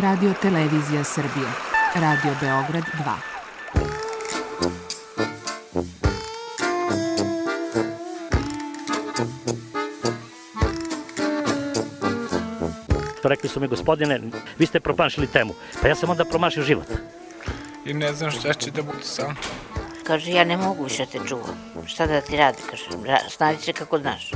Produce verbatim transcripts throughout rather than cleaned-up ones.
Radio Televizija Srbije, Radio Beograd dva. Rekli su mi, gospodine, vi ste promašili temu. Pa ja sam onda promašio život. I ne znam šta će da bude sam. Kaže, ja ne mogu više te čuvam. Šta da ti radi, kaže, snađi se kako znaš.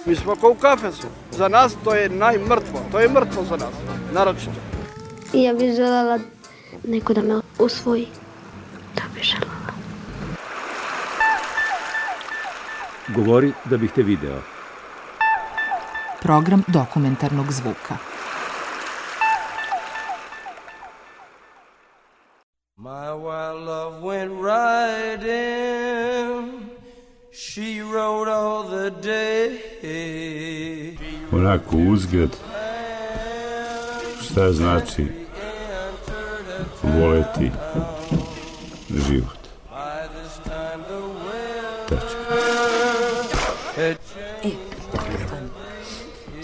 Mi smo kao u kafesu. Za nas to je najmrtvo. To je mrtvo za nas, naročito. I ja bih želela neko da me usvoji. To bih želela. Govori da bih te video. Program dokumentarnog zvuka. My wild love went riding, she rode all the day. Onako uzgled, šta znači voleti život. Tačka. E,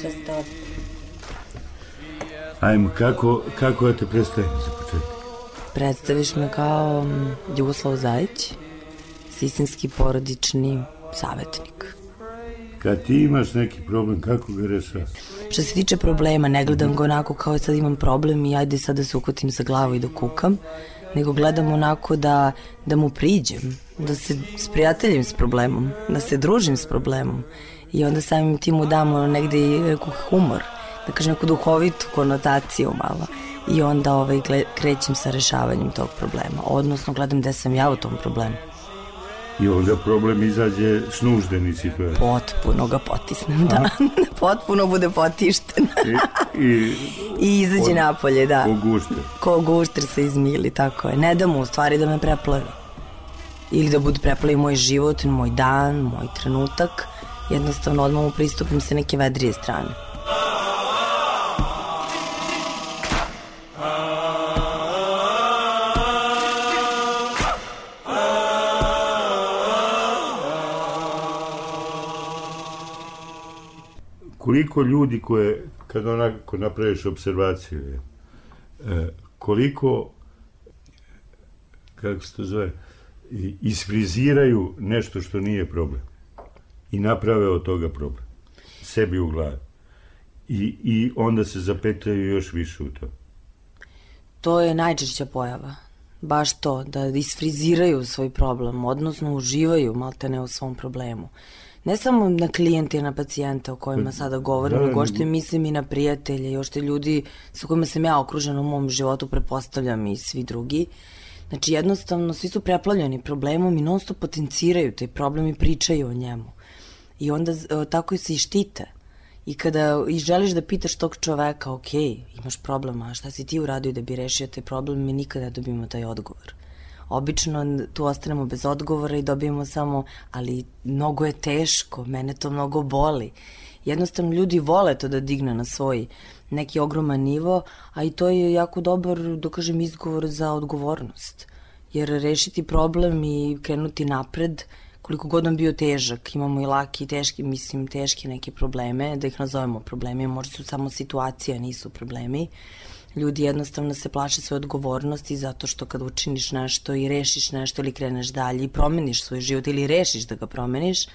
često. Ajmo, kako, kako da te predstavim za početak? Predstaviš me kao Ljuboslav Zajić, sistemski porodični savjetnik. Kad ti imaš neki problem, kako ga rešavaš? Što se tiče problema, ne gledam ga onako kao sad imam problem i ajde sad da se uhvatim za glavu i da kukam, nego gledam onako da, da mu priđem, da se sprijateljim s problemom, da se družim s problemom i onda samim tim mu damo negde i humor, da kažem neku duhovitu konotaciju malo. I onda ovaj, krećem sa rešavanjem tog problema, odnosno gledam gde sam ja u tom problemu. I onda problem izađe s nuždeni situacije. Potpuno ga potisnem, da. Potpuno bude potišten. I, i, I izađe od, napolje, da. Ko gušter. Ko gušter se izmili, tako je. Ne da mu u stvari da me preplavi. Ili da bude preplavi moj život, moj dan, moj trenutak. Jednostavno odmah mu pristupim sa neke vedrije strane. Koliko ljudi koje, kad onako napraviš observacije, koliko, kako se to zove, isfriziraju nešto što nije problem i naprave od toga problem, sebi u glavi. I, i onda se zapetljaju još više u to. To je najčešća pojava. Baš to, da isfriziraju svoj problem, odnosno uživaju maltene u svom problemu. Ne samo na klijente i na pacijenta o kojima sada govorim, da, nego što mislim i na prijatelje i ošte ljudi sa kojima sam ja okružena u mom životu, prepostavljam i svi drugi. Znači jednostavno svi su preplavljeni problemom i non stop potenciraju taj problem i pričaju o njemu. I onda tako se i štite. I kada i želiš da pitaš tog čoveka, ok, imaš problema, a šta si ti uradio da bi rešio taj problem, mi nikada dobijemo taj odgovor. Obično tu ostanemo bez odgovora i dobijemo samo, ali mnogo je teško, mene to mnogo boli. Jednostavno ljudi vole to da digne na svoj neki ogroman nivo, a i to je jako dobar, da kažem, izgovor za odgovornost. Jer rešiti problem i krenuti napred, koliko god on bio težak, imamo i laki i teški, mislim teške neke probleme, da ih nazovemo problemi, možda su samo situacije, nisu problemi. Ljudi jednostavno se plaše svoje odgovornosti zato što kad učiniš nešto i rešiš nešto ili kreneš dalje i promeniš svoj život ili rešiš da ga promeniš,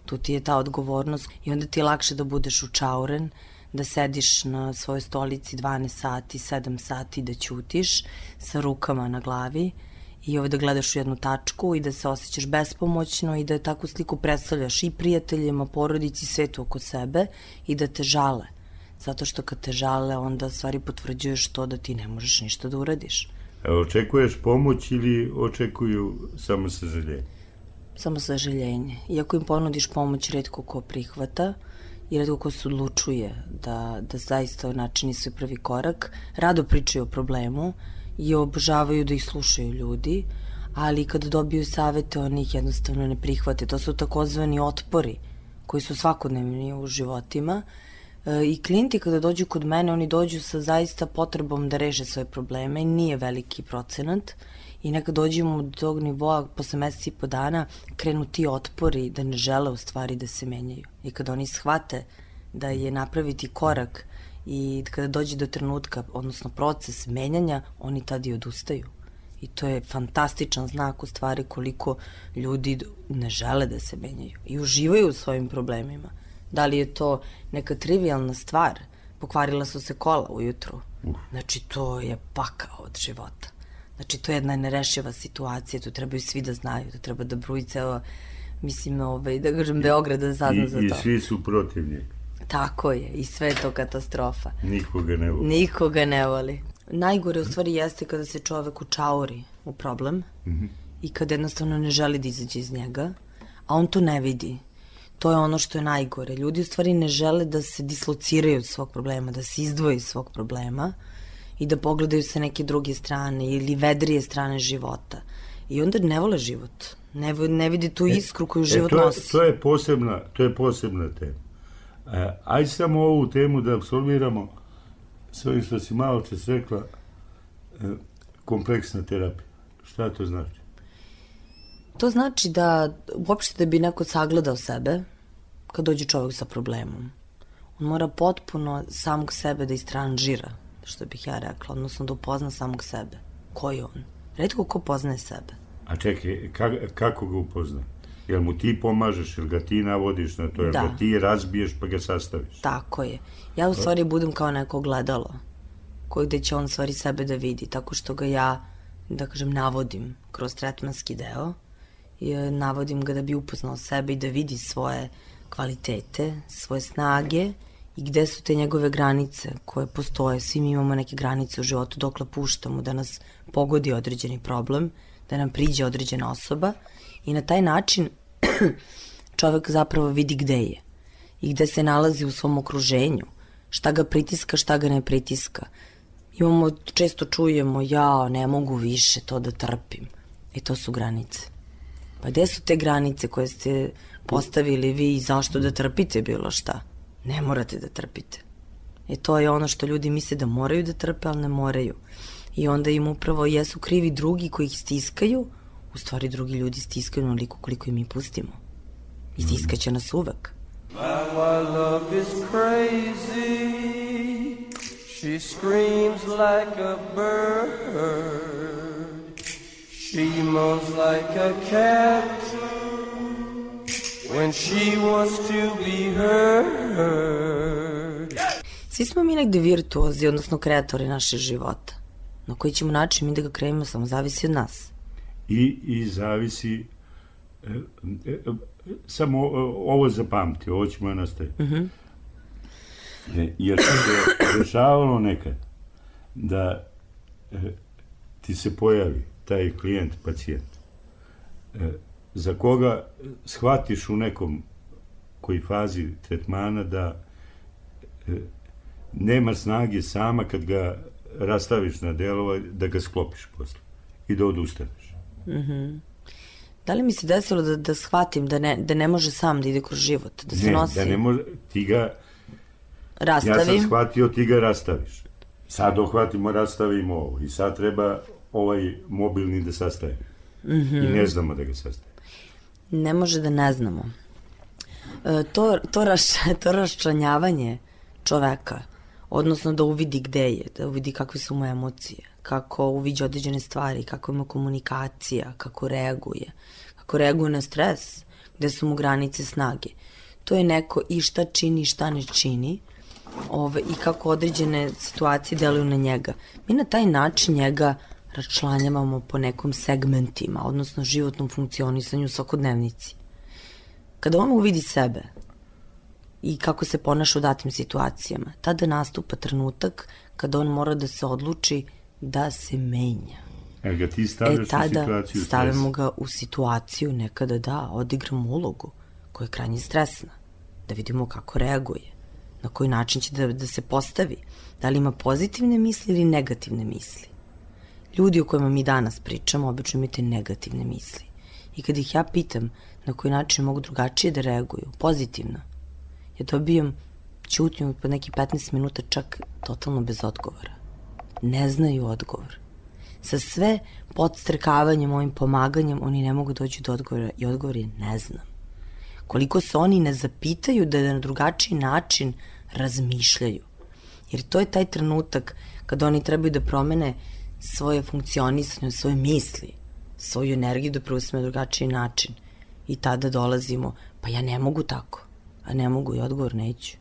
tu ti je ta odgovornost i onda ti je lakše da budeš učauren, da sediš na svojoj stolici dvanaest sati, sedam sati, da ćutiš sa rukama na glavi i ovaj da gledaš u jednu tačku i da se osjećaš bespomoćno i da takvu sliku predstavljaš i prijateljima, porodici, svetu oko sebe i da te žale. Zato što kad te žale, onda stvari potvrđuješ to da ti ne možeš ništa da uradiš. A očekuješ pomoć ili očekuju samo sažaljenje? Samo sažaljenje. Iako im ponudiš pomoć, retko ko prihvata i retko ko se odlučuje da, da zaista načini svoj prvi korak, rado pričaju o problemu i obožavaju da ih slušaju ljudi, ali kada dobiju savete, oni ih jednostavno ne prihvate. To su takozvani otpori koji su svakodnevni u životima. I klijenti kada dođu kod mene, oni dođu sa zaista potrebom da reše svoje probleme, nije veliki procenat i nekad dođemo do tog nivoa, posle meseci i po dana, krenu ti otpori da ne žele u stvari da se menjaju. I kada oni shvate da je napraviti korak i kada dođe do trenutka, odnosno proces menjanja, oni tad i odustaju. I to je fantastičan znak u stvari koliko ljudi ne žele da se menjaju i uživaju u svojim problemima. Da li je to neka trivialna stvar, pokvarila su se kola ujutru, znači to je pakao od života. Znači to je jedna nerešiva situacija, to trebaju svi da znaju, to treba da bruji ceo, mislim, ovaj, da kažem, Beograd da sazna I, za to. I svi su protiv njega. Tako je, i sve je to katastrofa. Nikoga ne voli. Nikoga ne voli. Najgore u stvari jeste kada se čovek učauri u problem mm-hmm. i kada jednostavno ne želi da izađe iz njega, a on to ne vidi. To je ono što je najgore. Ljudi u stvari ne žele da se dislociraju od svog problema, da se izdvoje iz svog problema i da pogledaju sa neke druge strane ili vedrije strane života. I onda ne vole život. Ne, ne vidi tu iskru koju život e, to je, nosi. To je posebna, to je posebna tema. E, ajde samo ovu temu da apsolviramo s ovim što si malo čas rekla, e, kompleksna terapija. Šta to znači? To znači da uopšte da bi neko sagledao sebe kad dođe čovjek sa problemom. On mora potpuno samog sebe da istranžira, što bih ja rekla, odnosno da upozna samog sebe. Ko je on? Retko ko poznaje sebe. A čekaj, ka, kako ga upozna? Jel mu ti pomažeš, jel ga ti navodiš na to, jel da. ga ti razbiješ pa ga sastaviš? Tako je. Ja u stvari budem kao neko gledalo, koje gde će on u stvari sebe da vidi, tako što ga ja, da kažem, navodim kroz tretmanski deo, i navodim ga da bi upoznao sebe i da vidi svoje kvalitete, svoje snage i gde su te njegove granice koje postoje. Svi mi imamo neke granice u životu dokle puštamo da nas pogodi određeni problem, da nam priđe određena osoba i na taj način čovek zapravo vidi gde je i gde se nalazi u svom okruženju, šta ga pritiska, šta ga ne pritiska. Imamo, često čujemo, ja ne mogu više to da trpim. E to su granice. Pa gde su te granice koje ste postavili vi i zašto da trpite bilo šta? Ne morate da trpite. E to je ono što ljudi misle da moraju da trpe, ali ne moraju. I onda im upravo jesu krivi drugi koji ih stiskaju, u stvari drugi ljudi stiskaju onoliko koliko im mi pustimo. I stiskaće nas uvek. My love is crazy. She screams like a bird. She moans like a cat when she wants to be heard. Svi smo mi negde virtuozi, odnosno kreatori našeg života. Na koji ćemo način mi da ga kreiramo, samo zavisi od nas. I, i zavisi, e, e, samo ovo zapamti, ovo ćemo je nastaviti. Uh-huh. E, jer se dešavalo nekad da e, ti se pojavi taj klijent, pacijent, e, za koga shvatiš u nekom koji fazi tretmana da e, nema snage sama kad ga rastaviš na delova, da ga sklopiš posle i da odustaneš. Mm-hmm. Da li mi se desilo da, da shvatim da ne, da ne može sam da ide kroz život, da se ne, nosi? Ne, da ne može, ti ga rastavim. Ja sam shvatio, ti ga rastaviš. Sad dohvatimo, rastavimo ovo i sad treba ovaj mobilni da sastavimo. Mm-hmm. I ne znamo da ga sastavimo. Ne može da ne znamo. E, to, to, raš, to raščlanjavanje čoveka, odnosno da uvidi gde je, da uvidi kakve su mu emocije, kako uviđa određene stvari, kako ima komunikacija, kako reaguje, kako reaguje na stres, gde su mu granice snage. To je neko i šta čini, šta ne čini, ove, i kako određene situacije deluju na njega. Mi na taj način njega raščlanjavamo po nekom segmentima, odnosno životnom funkcionisanju u svakodnevnici. Kada on uvidi sebe i kako se ponaša u datim situacijama, tada nastupa trenutak kada on mora da se odluči da se menja. E, ga ti stavljaš e, tada u situaciju stavimo ga u situaciju nekada da odigramo ulogu koja je krajnje stresna, da vidimo kako reaguje, na koji način će da, da se postavi, da li ima pozitivne misli ili negativne misli. Ljudi o kojima mi danas pričamo obično imaju te negativne misli. I kad ih ja pitam na koji način mogu drugačije da reaguju, pozitivno, ja dobijam ćutnju po neki petnaest minuta čak totalno bez odgovora. Ne znaju odgovor. Sa sve podstrekavanjem, ovim pomaganjem, oni ne mogu doći do odgovora i odgovor je ne znam. Koliko se oni ne zapitaju da na drugačiji način razmišljaju Jer to je taj trenutak kada oni trebaju da promene svoje funkcionisanje, svoje misli, svoju energiju da preusme na drugačiji način. I tada dolazimo, pa ja ne mogu tako, a ne mogu i odgovor neću.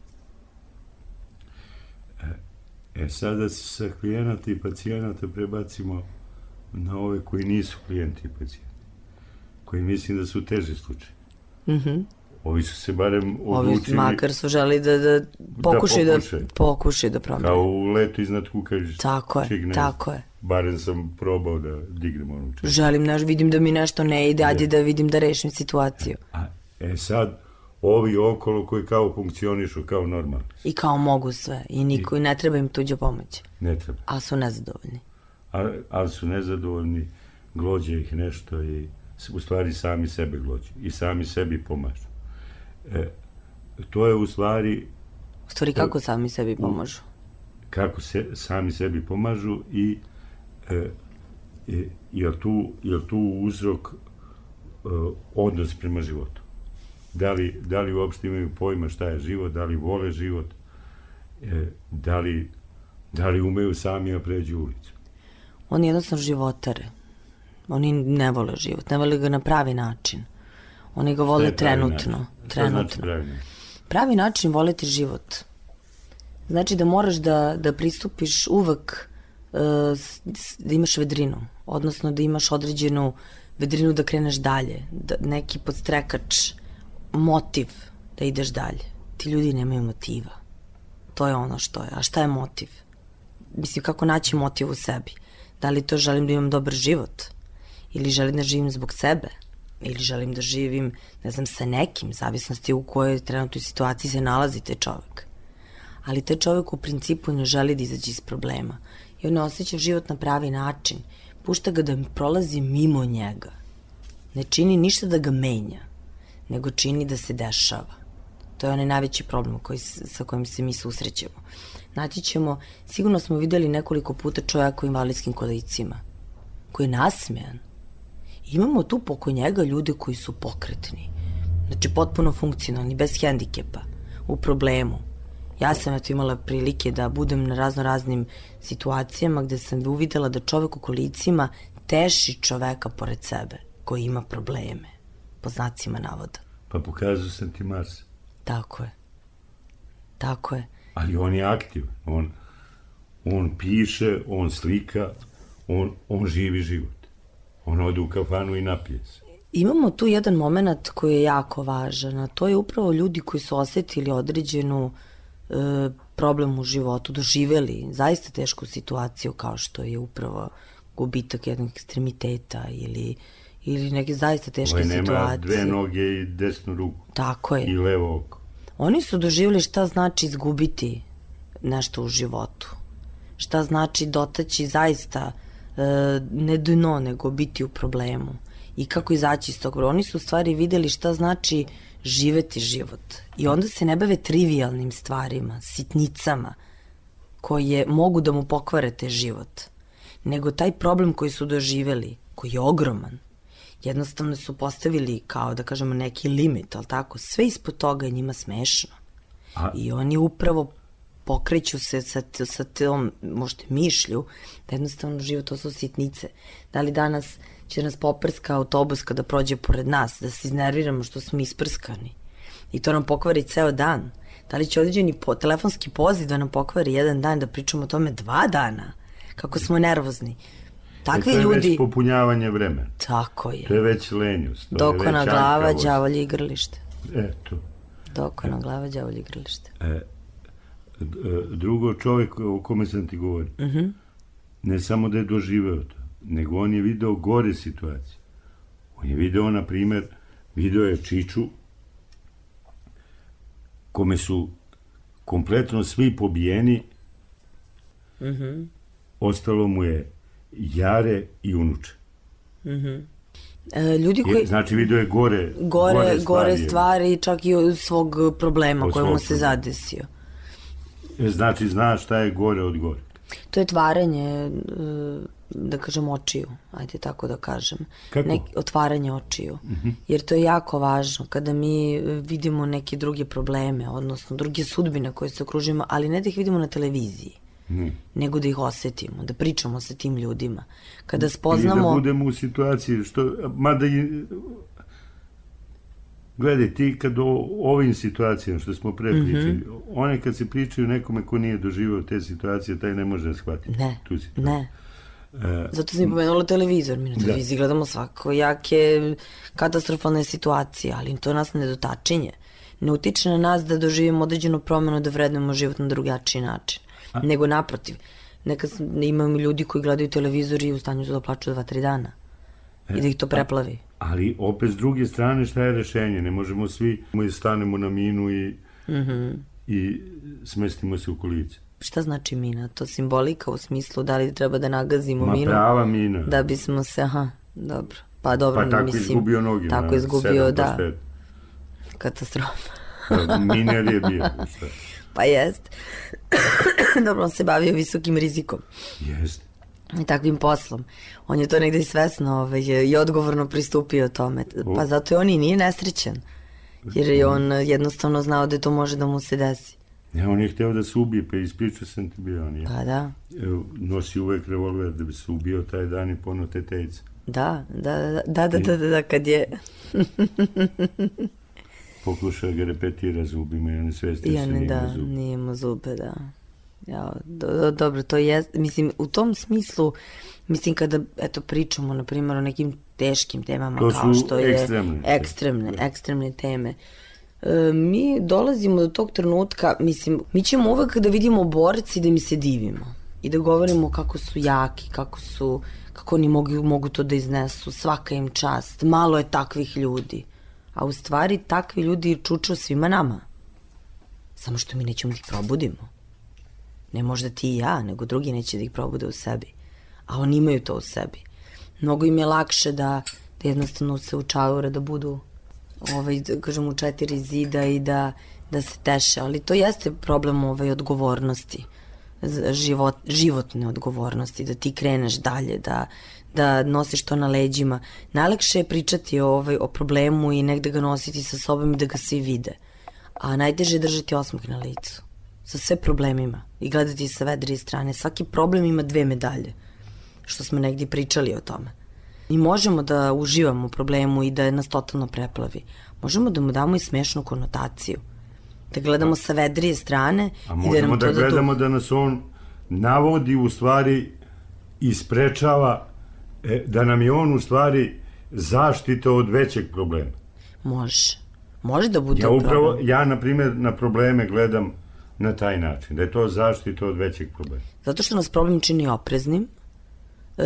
E sada se sa klijenata i pacijenata prebacimo na ove koji nisu klijenti i pacijenti, koji mislim da su teže slučaje. Mhm. Ovi su se barem odlučili... Ovi makar su želi da, da pokušaju da, pokušaju. pokušaju da promene. Kao u letu iznad kukažiš. Tako je, čig, tako je. Barem sam probao da dignem onu čeg. Želim, neš, vidim da mi nešto ne ide, ajde da vidim da rešim situaciju. A, e sad, ovi okolo koji kao funkcionišu kao normalno. I kao mogu sve, i niko, i ne treba im tuđa pomoć. Ne treba. Ali su nezadovoljni. A, ali su nezadovoljni, glođe ih nešto i u stvari sami sebe glođe i sami sebi pomažu. E, to je u stvari... U stvari kako sami sebi pomažu? Kako se sami sebi pomažu i e, e, je tu, je tu uzrok e, odnos prema životu. Da li, da li uopšte imaju pojma šta je život, da li vole život, e, da, li, da li umeju sami da pređu ulicu. Oni jednostavno životare. Oni ne vole život, ne vole ga na pravi način. Oni ga vole trenutno. trenutno. Znači pravi način? Pravi način voleti život. Znači da moraš da, da pristupiš uvek uh, da imaš vedrinu, odnosno da imaš određenu vedrinu da kreneš dalje, da, neki podstrekač, motiv da ideš dalje. Ti ljudi nemaju motiva. To je ono što je. A šta je motiv? Mislim, kako naći motiv u sebi? Da li to želim da imam dobar život? Ili želim da živim zbog sebe? Ili želim da živim, ne znam, sa nekim, zavisnosti u kojoj trenutnoj situaciji se nalazi taj čovek. Ali taj čovek u principu ne želi da izađe iz problema. I on ne osjeća život na pravi način. Pušta ga da prolazi mimo njega. Ne čini ništa da ga menja, nego čini da se dešava. To je onaj najveći problem koji, sa kojim se mi susrećemo. Naći ćemo, sigurno smo videli nekoliko puta čovjeka u invalidskim kolicima, koji je nasmejan. Imamo tu poko njega ljude koji su pokretni, znači potpuno funkcionalni, bez hendikepa, u problemu. Ja sam eto imala prilike da budem na razno raznim situacijama gde sam uvidela da čovek u kolicima teši čoveka pored sebe, koji ima probleme, po znacima navoda. Pa pokazao sam ti Mars. Tako je. Tako je. Ali on je aktivan. On, on piše, on slika, on, on živi život. On ode u kafanu i napije se. Imamo tu jedan moment koji je jako važan, a to je upravo ljudi koji su osetili određenu e, problem u životu, doživeli zaista tešku situaciju kao što je upravo gubitak jednog ekstremiteta ili, ili neke zaista teške situacije. situacije. Nema dve noge i desnu ruku. Tako je. I levo oko. Oni su doživjeli šta znači izgubiti nešto u životu. Šta znači dotaći zaista e, ne dno, nego biti u problemu. I kako izaći iz tog problema. Oni su u stvari videli šta znači živeti život. I onda se ne bave trivialnim stvarima, sitnicama, koje mogu da mu pokvare te život. Nego taj problem koji su doživjeli, koji je ogroman, jednostavno su postavili kao da kažemo neki limit, ali tako, sve ispod toga je njima smešno. A... I oni upravo pokreću se sa, sa tom, možete mišlju, da jednostavno život to su sitnice. Da li danas će nas poprska autobus kada prođe pored nas, da se iznerviramo što smo isprskani. I to nam pokvari ceo dan. Da li će određeni po, telefonski poziv da nam pokvari jedan dan, da pričamo o tome dva dana, kako smo nervozni. Takvi ljudi... E, to je ljudi... već popunjavanje vremena. Tako je. To je već lenjost. Dokona glava, đavolje igralište. Eto. Dokona e. glava, đavolje igralište. E, drugo, čovjek o kome sam ti govorio, uh -huh. ne samo da je doživeo to, nego on je video gore situacije. On je video, na primjer, video je Čiču, kome su kompletno svi pobijeni, uh -huh. ostalo mu je Jare i unuče. Mhm. Uh-huh. E, ljudi koji... Je, znači video je gore, gore, gore stvari. Gore stvari, čak i od svog problema od kojemu svog se zadesio. Znači zna šta je gore od gore. To je tvaranje, da kažem, očiju, ajde tako da kažem. Kako? Nek, otvaranje očiju. Uh-huh. Jer to je jako važno kada mi vidimo neke druge probleme, odnosno druge sudbine koje se okružujemo, ali ne da ih vidimo na televiziji, hmm. nego da ih osetimo, da pričamo sa tim ljudima. Kada spoznamo... Ili da budemo u situaciji, što, mada i... Gledaj, ti kad o ovim situacijama što smo pre pričali, mm-hmm. one kad se pričaju nekome ko nije doživao te situacije, taj ne može da shvatiti ne, tu situaciju. Ne, e, zato sam i pomenula televizor. Mi na televiziji da. gledamo svakojake katastrofalne situacije, ali to nas ne dotačinje. Ne utiče na nas da doživimo određenu promenu, da vrednujemo život na drugačiji način. A? Nego naprotiv. Nekad imamo ljudi koji gledaju televizor i u stanju su da plaču dva, tri dana. E, I da ih to preplavi. Ali opet s druge strane šta je rešenje? Ne možemo svi, mi stanemo na minu i, mm-hmm. i smestimo se u kolice. Šta znači mina? To simbolika u smislu da li treba da nagazimo Ma, minu? Ma prava mina. Da bismo se, aha, dobro. Pa dobro, pa tako mislim. Izgubio noge. Tako izgubio, da. Katastrofa. Miner je bio, šta? Pa jest. Dobro, on se bavio visokim rizikom. Jest. I takvim poslom. On je to negde i svesno ovaj, i odgovorno pristupio tome. Pa zato je on i nije nesrećan. Jer je on jednostavno znao da to može da mu se desi. Ja, on je hteo da se ubije, pa ispričao sam ti bio on. Je. Pa da. Nosi uvek revolver da bi se ubio taj dan i pono tetejca. Da, da, da, da, da, da, da, da, kad je... Pokušao ga repetira zubima i on je svestio se nije da, imao zube. Nije imao zube, da. Ja, do, do, dobro, to je, mislim, u tom smislu, mislim, kada, eto, pričamo, na primjer, o nekim teškim temama, to kao što je ekstremne, ekstremne, ekstremne teme, e, mi dolazimo do tog trenutka, mislim, mi ćemo uvek da vidimo borci da mi se divimo i da govorimo kako su jaki, kako su, kako oni mogu, mogu to da iznesu, svaka im čast, malo je takvih ljudi, a u stvari takvi ljudi čuču svima nama, samo što mi nećemo da ih probudimo. Ne možda ti i ja, nego drugi neće da ih probude u sebi. A oni imaju to u sebi. Mnogo im je lakše da, da jednostavno se učaure, da budu ovaj, da kažem, u četiri zida i da, da se teše. Ali to jeste problem ovaj, odgovornosti. Život, životne odgovornosti. Da ti kreneš dalje, da, da nosiš to na leđima. Najlakše je pričati ovaj, o problemu i negde ga nositi sa sobom i da ga svi vide. A najteže je držati osmeh na licu. Sa sve problemima i gledati sa vedrije strane. Svaki problem ima dve medalje, što smo negdje pričali o tome. Mi možemo da uživamo u problemu i da nas totalno preplavi. Možemo da mu damo i smešnu konotaciju. Da gledamo sa vedrije strane. A i možemo da, nam da, to da gledamo da, da nas on navodi u stvari i sprečava, e, da nam je on u stvari zaštita od većeg problema. Može. Može da bude ja upravo, problem. Ja, na primjer, na probleme gledam na taj način, da je to zaštita od većeg problema. Zato što nas problem čini opreznim,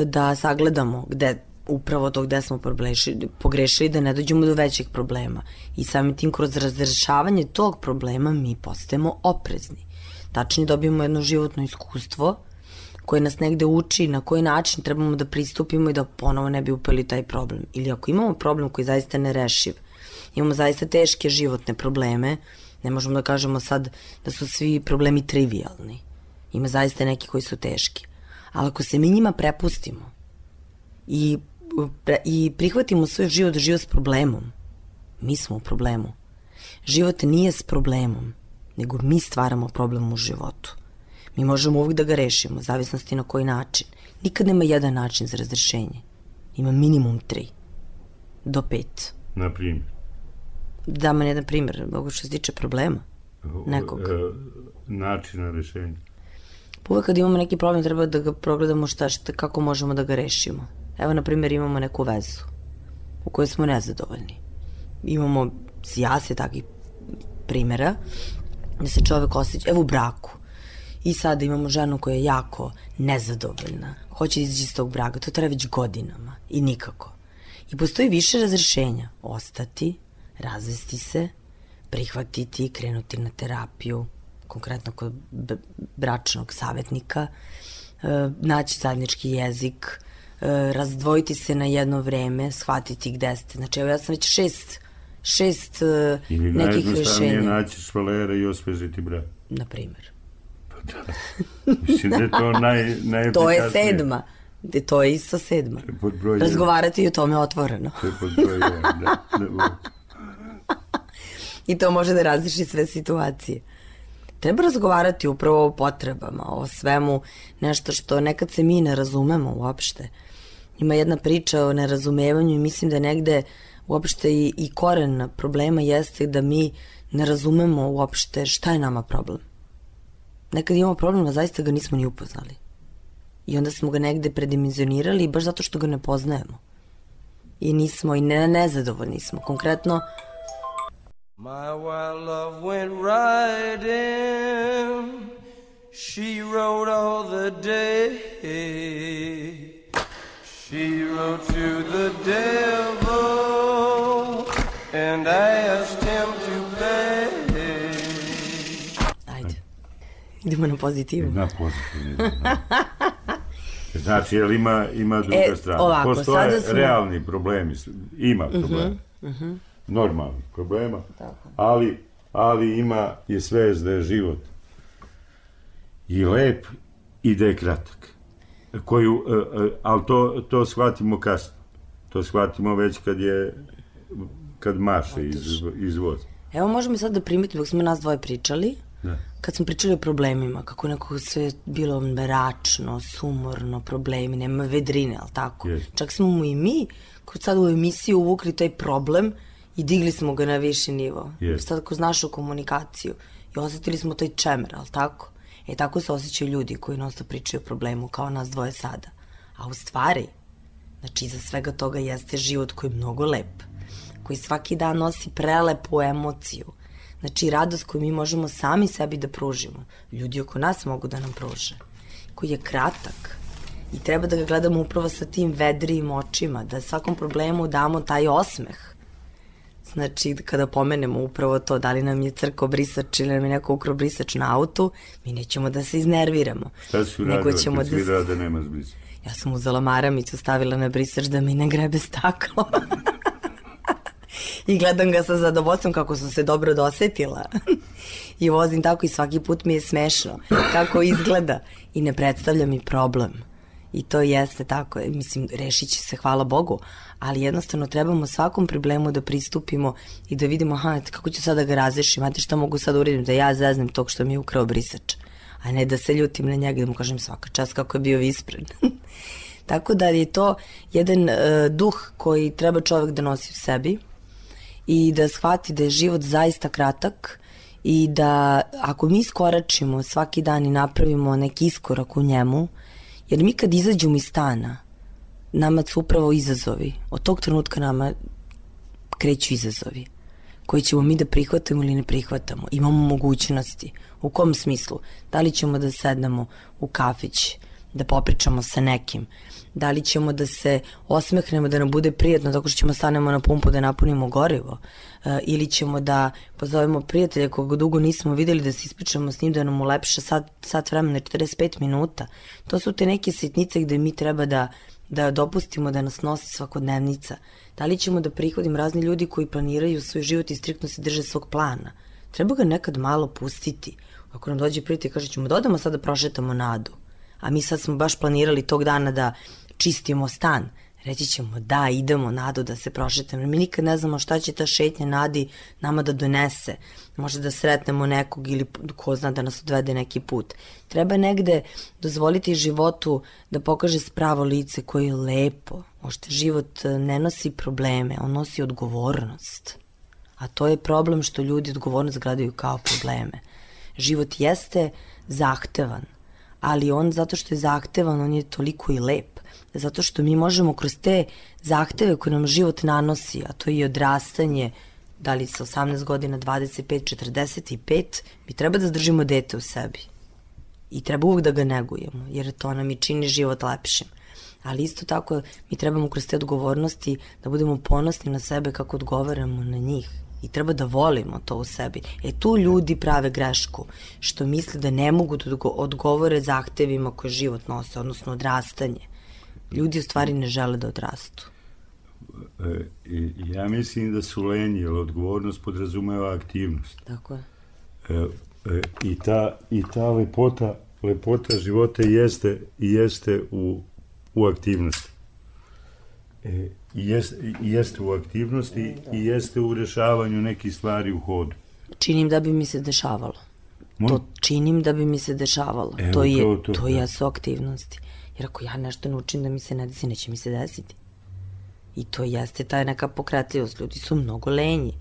da sagledamo gde, upravo to gde smo pogrešili, da ne dođemo do većeg problema. I samim tim kroz razrešavanje tog problema mi postajemo oprezni. Tačnije dobijemo jedno životno iskustvo koje nas negde uči na koji način trebamo da pristupimo i da ponovo ne bi upeli taj problem. Ili ako imamo problem koji zaista nerešiv, imamo zaista teške životne probleme, ne možemo da kažemo sad da su svi problemi trivialni. Ima zaista neki koji su teški. Ali ako se mi njima prepustimo i, pre, i prihvatimo svoj život, život s problemom, mi smo u problemu. Život nije s problemom, nego mi stvaramo problem u životu. Mi možemo uvijek da ga rešimo, zavisnosti na koji način. Nikad nema jedan način za razrešenje. Ima minimum tri do pet. Na primjer? Da, man jedan primjer, mogu što se tiče problema nekog. E, načina rešenja. Uvek kad imamo neki problem treba da ga progledamo šta, šta, kako možemo da ga rešimo. Evo, na primjer, imamo neku vezu u kojoj smo nezadovoljni. Imamo sjase takvih primjera da se čovek osjeća, evo u braku. I sada imamo ženu koja je jako nezadovoljna. Hoće da izađe iz tog braka. To traje već godinama i nikako. I postoji više razrešenja. Ostati, razvesti se, prihvatiti, krenuti na terapiju, konkretno kod bračnog savjetnika, naći zajednički jezik, razdvojiti se na jedno vreme, shvatiti gde ste. Znači, evo ja sam već šest, šest ili nekih rešenja. Ili najjednostavnije naći švalera i osvežiti brak. Na primjer. Pa da. Mislim da je to naj, najefikasnije. To je sedma. To je isto sedma. Razgovarati i o tome otvoreno. To je pod broj jedan, da. da. I to može da različi sve situacije. Treba razgovarati upravo o potrebama, o svemu, nešto što nekad se mi ne razumemo uopšte. Ima jedna priča o nerazumevanju i mislim da negde uopšte i, i koren problema jeste da mi ne razumemo uopšte šta je nama problem. Nekad imamo problem, a zaista ga nismo ni upoznali. I onda smo ga negde predimenzionirali baš zato što ga ne poznajemo. I nismo, i ne, nezadovoljni smo. Konkretno, my wild love went riding, she rode all the day, she rode to the devil and asked him to pay. Ajde, idemo na pozitivu. Na pozitivu. Znači, jel ima, ima druga e, strana? Ovako, postoje smo... realni problemi, ima problema. Uh-huh, uh-huh. Normalnih problema, ali, ali ima i sve da je život i lep i da je kratak. Koju, ali to, to shvatimo kasno. To shvatimo već kad je kad maše iz, iz voza. Evo možemo sad da primetimo, dok smo nas dvoje pričali, da. Kad smo pričali o problemima, kako nekako sve bilo mračno, sumorno, problemi, nema vedrine, ali tako? Yes. Čak smo mu i mi, kod sad u emisiji uvukli taj problem i digli smo ga na viši nivo. Yes. Sad kroz našu komunikaciju. I osetili smo taj čemer, ali tako? E tako se osjećaju ljudi koji nosto pričaju o problemu, kao nas dvoje sada. A u stvari, znači iza svega toga jeste život koji je mnogo lep, koji svaki dan nosi prelepu emociju. Znači radost koju mi možemo sami sebi da pružimo. Ljudi oko nas mogu da nam pruže. Koji je kratak. I treba da ga gledamo upravo sa tim vedrijim očima, da svakom problemu damo taj osmeh. Znači, kada pomenemo upravo to, da li nam je crko brisač ili nam je neko ukro brisač na autu, mi nećemo da se iznerviramo. Šta si uradila kad si videla da nema brisač? Ja sam uzela maramicu, stavila na brisač da mi ne grebe staklo. I gledam ga sa zadovoljstvom kako sam se dobro dosetila. I vozim tako i svaki put mi je smešno kako izgleda i ne predstavlja mi problem. I to jeste tako, mislim, rešit će se, hvala Bogu, ali jednostavno trebamo svakom problemu da pristupimo i da vidimo, aha, kako ću sada ga razrešiti, imate šta mogu sad uradim, da ja zeznem tog što mi je ukrao brisač, a ne da se ljutim na njega, da mu kažem svaka čast kako je bio vispren. Tako da je to jedan uh, duh koji treba čovek da nosi u sebi i da shvati da je život zaista kratak i da ako mi iskoračimo svaki dan i napravimo neki iskorak u njemu, jer mi kad izađemo iz stana, nama su upravo izazovi. Od tog trenutka nama kreću izazovi koji ćemo mi da prihvatamo ili ne prihvatamo. Imamo mogućnosti. U kom smislu? Da li ćemo da sednemo u kafić, da popričamo sa nekim? Da li ćemo da se osmehnemo, da nam bude prijatno tako što ćemo stanemo na pumpu da napunimo gorivo? E, ili ćemo da pozovemo prijatelja koga dugo nismo videli, da se ispričamo s njim, da nam ulepša sat, sat vremena, četrdeset pet minuta. To su te neke sitnice gde mi treba da, da dopustimo da nas nosi svakodnevnica. Da li ćemo da prihvatim razni ljudi koji planiraju svoj život i striktno se drže svog plana? Treba ga nekad malo pustiti. Ako nam dođe prijatelj i kaže ćemo da odemo sad da prošetamo Nadu, a mi sad smo baš planirali tog dana da čistimo stan, reći ćemo da, idemo Nadu da se prošetamo. Mi nikad ne znamo šta će ta šetnja Nadi nama da donese. Možda da sretnemo nekog ili ko zna da nas odvede neki put. Treba negde dozvoliti životu da pokaže spravo lice koje je lepo. Možda život ne nosi probleme, on nosi odgovornost. A to je problem što ljudi odgovornost gledaju kao probleme. Život jeste zahtevan, ali on zato što je zahtevan, on je toliko i lep. Zato što mi možemo kroz te zahteve koje nam život nanosi, a to je i odrastanje, da li sa osamnaest godina, dvadeset pet, četrdeset pet, mi treba da zadržimo dete u sebi. I treba uvek da ga negujemo, jer to nam i čini život lepšim. Ali isto tako mi trebamo kroz te odgovornosti da budemo ponosni na sebe kako odgovaramo na njih. I treba da volimo to u sebi. E tu ljudi prave grešku, što misle da ne mogu da odgovore zahtevima koje život nose, odnosno odrastanje. Ljudi u stvari ne žele da odrastu. E, ja mislim da su lenji, jer odgovornost podrazumeva aktivnost. Tako je. E, e, I ta, i ta lepota, lepota života jeste, jeste u u aktivnosti. E, i jest, i jeste u aktivnosti i jeste u rešavanju nekih stvari u hodu. Činim da bi mi se dešavalo. Moj? To činim da bi mi se dešavalo. Evo, to je, to, to, to da. jesu aktivnosti. Jer ako ja nešto naučim da mi se ne desi, neće mi se desiti. I to jeste taj neka pokretljivost. Ljudi su mnogo lenji.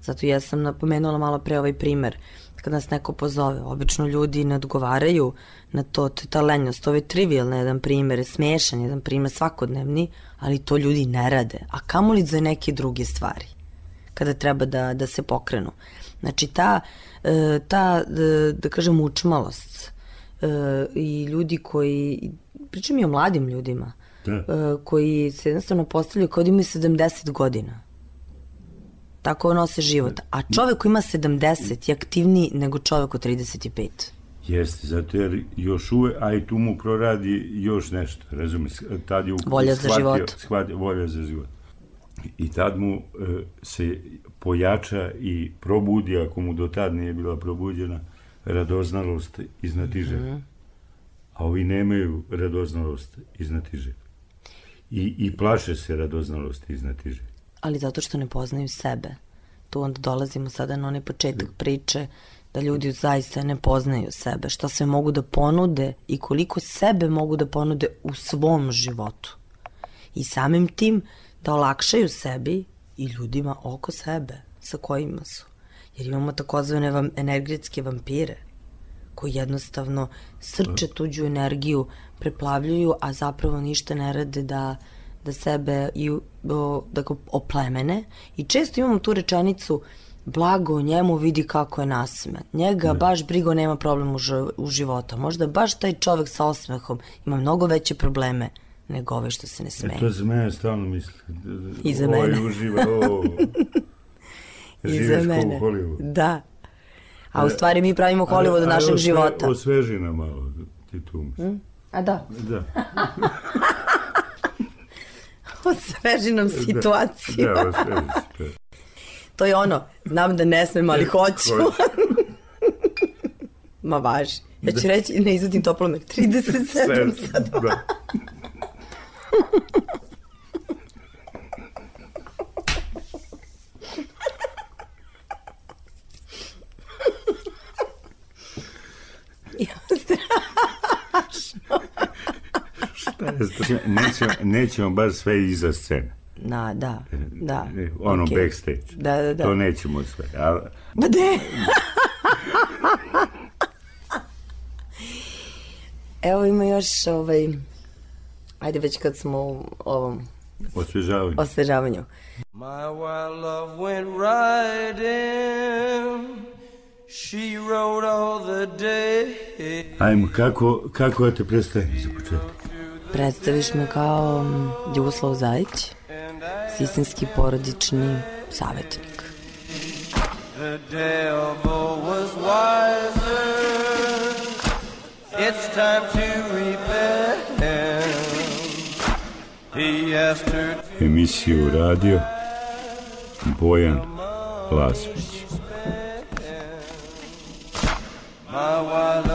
Zato ja sam napomenula malo pre ovaj primer. Kad nas neko pozove, obično ljudi ne odgovaraju na to, to je ta lenjost. Ovo je trivialno jedan primer, smešan jedan primer, svakodnevni, ali to ljudi ne rade. A kamoli za neke druge stvari, kada treba da, da se pokrenu. Znači, ta, ta da kažem, učmalost i ljudi koji, pričam i o mladim ljudima, da. Koji se jednostavno postavljaju kao da imaju sedamdeset godina. Tako nose život. A čovek koji ima sedamdeset je aktivniji nego čovek od trideset pet. Jeste, zato jer još uvek, a i tu mu proradi još nešto, razumiješ, tad je volja za život. Shvatio, volja za život. I tad mu e, se pojača i probudi, ako mu do tad nije bila probuđena, radoznalost iznatižega. Mm-hmm. A ovi nemaju radoznalost iznatižega. I, i plaše se radoznalosti iznatižega. Ali zato što ne poznaju sebe. Tu onda dolazimo sada na onaj početak priče da ljudi zaista ne poznaju sebe, šta sve mogu da ponude i koliko sebe mogu da ponude u svom životu. I samim tim da olakšaju sebi i ljudima oko sebe, sa kojima su. Jer imamo takozvane vam, energetske vampire, koji jednostavno srče tuđu energiju, preplavljuju, a zapravo ništa ne rade da da sebe i, o, da ga oplemene. I često imamo tu rečenicu blago njemu vidi kako je nasmejan. Njega ne. Baš brigo nema problem u, u životu. Možda baš taj čovek sa osmehom ima mnogo veće probleme nego ovaj što se ne smeje. E to za mene stalno misli. I za mene. Ovo uživa, ovo... I za mene. Da. A u stvari mi pravimo Hollywood od našeg života. A osveži nam malo, ti tu misli. Mm? A da? Da. Osveži nam situaciju. Da, da, osveži situaciju. To je ono, znam da ne smem, ali hoću. Ma važi. Ja ću reći, ne izvodim toplomer, trideset sedam sad. Da. Nećemo, nećemo baš sve iza scene. Da, da, da. Ono okay. Backstage. Da, da, da. To nećemo sve. Ali... Ba de! Evo ima još ovaj... Ajde već kad smo u ovom... Osvežavanju. Osvežavanju. My wild love went riding. She rode all the day. Ajmo, kako, kako da te predstavim za početak? Predstaviš me kao Ljuboslav Zajić, sistemski porodični savjetnik. The devil was wiser. It's time to repent. He asked her to... Emisiju radio Bojan Lasvić. My wild